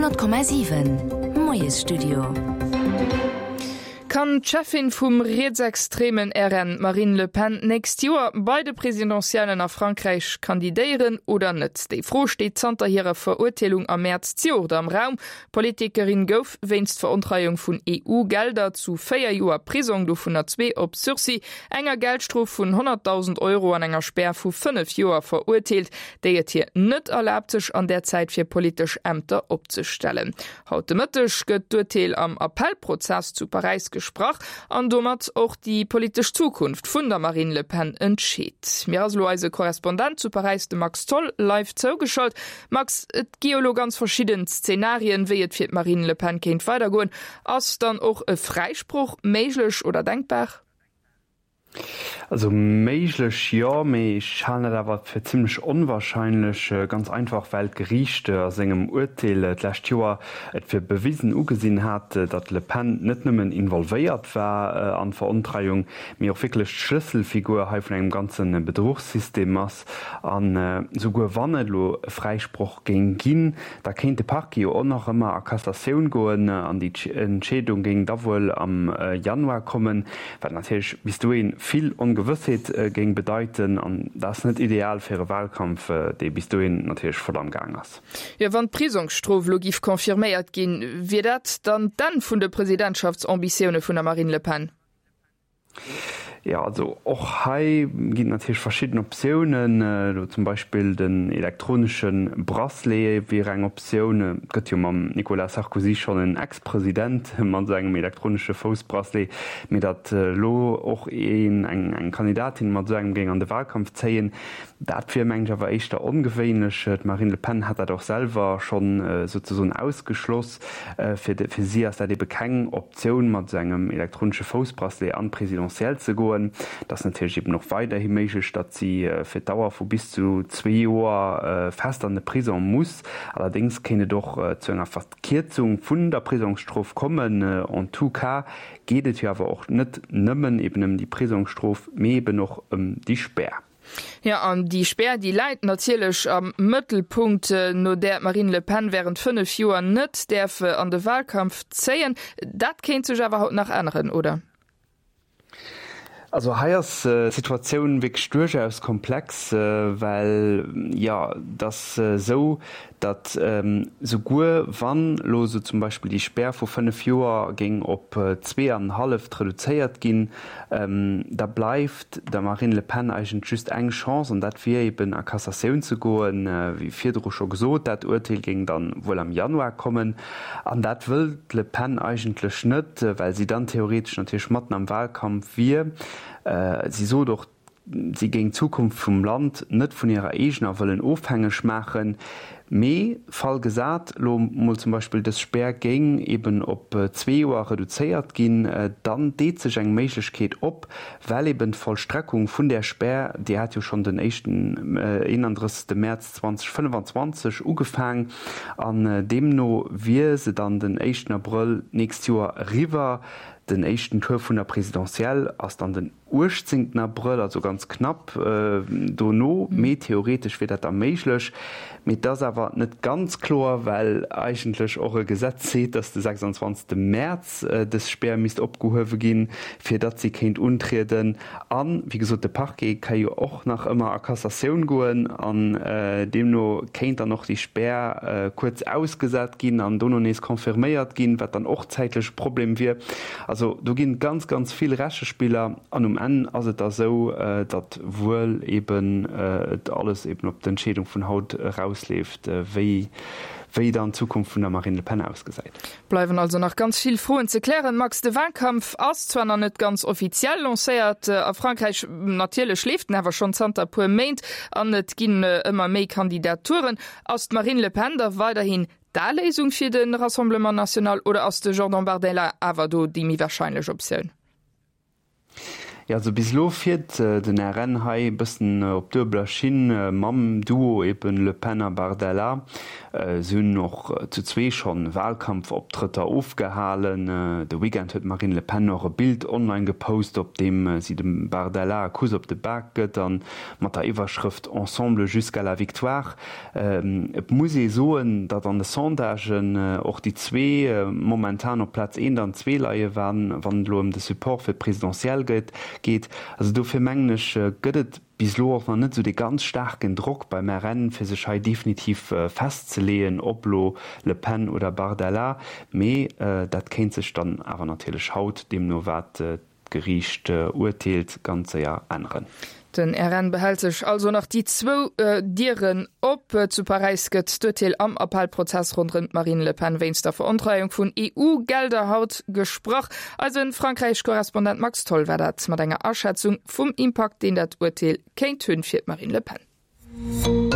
100,7 Moiesstudio. Kann d'Cheffin vum rietsextremen RN, d'Marine Le Pen, d'nächst Joer bei de Presidentiellen a Frankräich kandidéieren oder net? Déi Fro steet zanter hirer Verurteelung am Mäerz zejoert am Raum. D'Politikerin gouf wéinst Verontreiung vun EU-Gelder zu 4 Joer Prisong, dovunner zwee op Sursis, enger Geldstrof vun 100.000 Euro an enger Spär vu 5 Joer verurteelt, déi et hir net erlaabt, sech an där Zäit fir politesch Ämter opzestellen. Haut de Mëtteg gëtt d'Urteel am Appellprozess zu Paräis gesprach an domat och déi politesch Zukunft vun der Marine Le Pen entscheet. Mir ass elo eise Korrespondent zu Paräis, de Max Tholl, live zougeschalt. Max, et gi jo elo ganz verschidden Szenarien, wéi et fir d'Marine Le Pen kéint weidergoen. Ass dann och e Fräisproch méiglech oder denkbar? Also méiglech jo, mee ech halen dat awer fir zimlech onwahrscheinlech. Ganz einfach well d'Geriicht a sengem Urteel d'lescht Joer et fir bewisen ugesinn hat, datt d'Le Pen net nëmmen involvéiert war an d'Verontreiung, mee och wierklech d'Schlësselfigur hei vun engem ganze Bedruchssystem ass. An souguer wann et elo e Fräisproch géing ginn, da kéint de Parquet jo och nach ëmmer a Cassatioun goen an déi Entscheedung géing da wuel am Januar kommen, wat natierlech bis dohi vill Ongewëssheet géing bedeiten. An dat ass net ideal fir e Wahlkampf, dee bis dohin natierlech voll am Gaang ass. Jo, wann d'Prisongsstrof elo giff confirméiert ginn, wier dat dann d'Enn vun de Presidentschaftambitioune vun der Marine Le Pen? Jo, also och hei ginn et natierlech verschidden Optiounen. Elo zum Beispill den elektronesche Bracelet wier eng Optioun. Et gëtt jo mam Nicolas Sarkozy schonn en Ex-President mat esou engem elektronesche Foussbracelet. Mee datt elo och een, eng Kandidatin mat esou engem géing an de Wahlkampf zéien, dat wier mengen ech awer éischter ongewéinlech. D'Marine Le Pen hat dat och selwer schonn souzesoen ausgeschloss. Fir si ass dat ebe keng Optioun, mat esou engem elektronesche Foussbracelet an d'Presidentielle ze goen. Et ass natierlech eben och weiderhi méiglech, datt si fir d'Dauer vu bis zu zwee Joer fest an de Prisong muss. Allerdéngs kéint et och zu enger Verkierzung vun der Prisongsstrof kommen. En tout cas geet et jo awer och net nëmmen eben ëm déi Prisongsstrof, mee eben och ëm déi Spär. Jo, an déi Spär, déi läit natierlech am Mëttelpunkt, no där d'Marine Le Pen wärend 5 Joer net däerf an de Wahlkampf zéien. Dat kéint sech awer haut nach änneren, oder? Also hei ass d'Situatioun wierklech duerchaus komplex, well, jo, et ass esou, datt souguer wann elo esou zum Beispill déi Spär vu 5 Joer géing op zweeanenhalleft reduzéiert ginn, da bleift der Marine Le Pen eigentlech just eng Chance, an dat wier eben a Cassatioun ze goen. Wéi virdru scho gesot, dat Urteel géing dann wuel am Januar kommen. An dat wëll d'Le Pen eigentlech net, well si dann theoretesch natierlech matten am Wahlkampf wier. Si sot och, Si géing d'Zukunft vum Land net vun hirer eegener Wëllen ofhängeg maachen. Mee, Fall gesat, elo mol zum Beispill dës Spär géing eben op zwee Joer reduzéiert ginn, dann deet sech eng Méiglechkeet op, well eben d'Vollstreckung vun där Spär, déi hat jo schonn den éischten, 31. Mäerz 2025 ugefaang an deemno wier se dann den éischten Abrëll d'nächst Joer eriwwer. Den éischten Tour vun der Présidentielle ass dann den 18 Abrëll, also ganz knapp dono, mee theoretesch wier dat da méiglech. Mee et ass awer net ganz kloer, well eigentlech och e Gesetz seet, datt de 26 Mäerz dës Spär misst opgehuewe ginn, fir datt si kéint untrieden. An, wéi gesot, de Parquet ka jo och nach ëmmer a Cassatioun goen an deemno kéint dann och déi Spär kuerz ausgesat ginn an dono nees confirméiert ginn, wat dann och zäitlech e Problem wier. Also do ginn et ganz, ganz vill Rechespiller an um Enn ass et da sou, datt wuel eben et alles eben op d'Entscheedung vun haut erausleeft, wéi wéi dann d'Zukunft vun der Marine Le Pen ausgesäit. Bleiwen also nach ganz vill Froen ze klären. Max, de Wahlkampf ass zwar nach net ganz offiziell lancéiert a Frankräich, natierlech leeft en awer schonn zanter e puer Méint an et ginn ëmmer méi Kandidaturen. Ass d'Marine Le Pen da weiderhin D'A-Léisung fir de Rassemblement National oder ass de Jordan Bardella awer do déi méi warscheinlech Optioun? Jo, also bis elo fiert den RN hei e bëssen op duebeler Schinn mam Duo eben Le Pen a Bardella. Si hunn och zu zwee schonn Wahlkampfoptrëtter ofgehalen. De Weekend huet d'Marine Le Pen och e Bild online gepost, op deem si dem Bardella e Kuss op de Bak gëtt a mat der Iwwerschrëft Ensemble jusqu'à la victoire. Et muss ee soen, datt an de Sondagen och déi zwee momentan op Plaz eent an zwee leie wann et elo ëm de Support fir d'Presidentielle geet. Also dofir mengen ech, gëtt et bis elo och nach net esou dee ganz staarken Drock beim RN, fir sech hei definitiv festzeleeën, ob elo Le Pen oder Bardella. Mee dat kéint sech dann awer natierlech haut, deemno wat d'Geriicht urteelt, ganz séier änneren. Den RN behält sech also nach déi zwou Dieren op. Zu Paräis gëtt d'Urteel am Appellprozess ronderëm d'Marine Le Pen wéinst der Verontreiung vun EU-Gelder haut gesprach. Eise Frankräich-Korrespondent Max Tholl war dat mat enger Aschätzung vum Impakt, deen dat Urteel kéint hunn fir d'Marine Le Pen.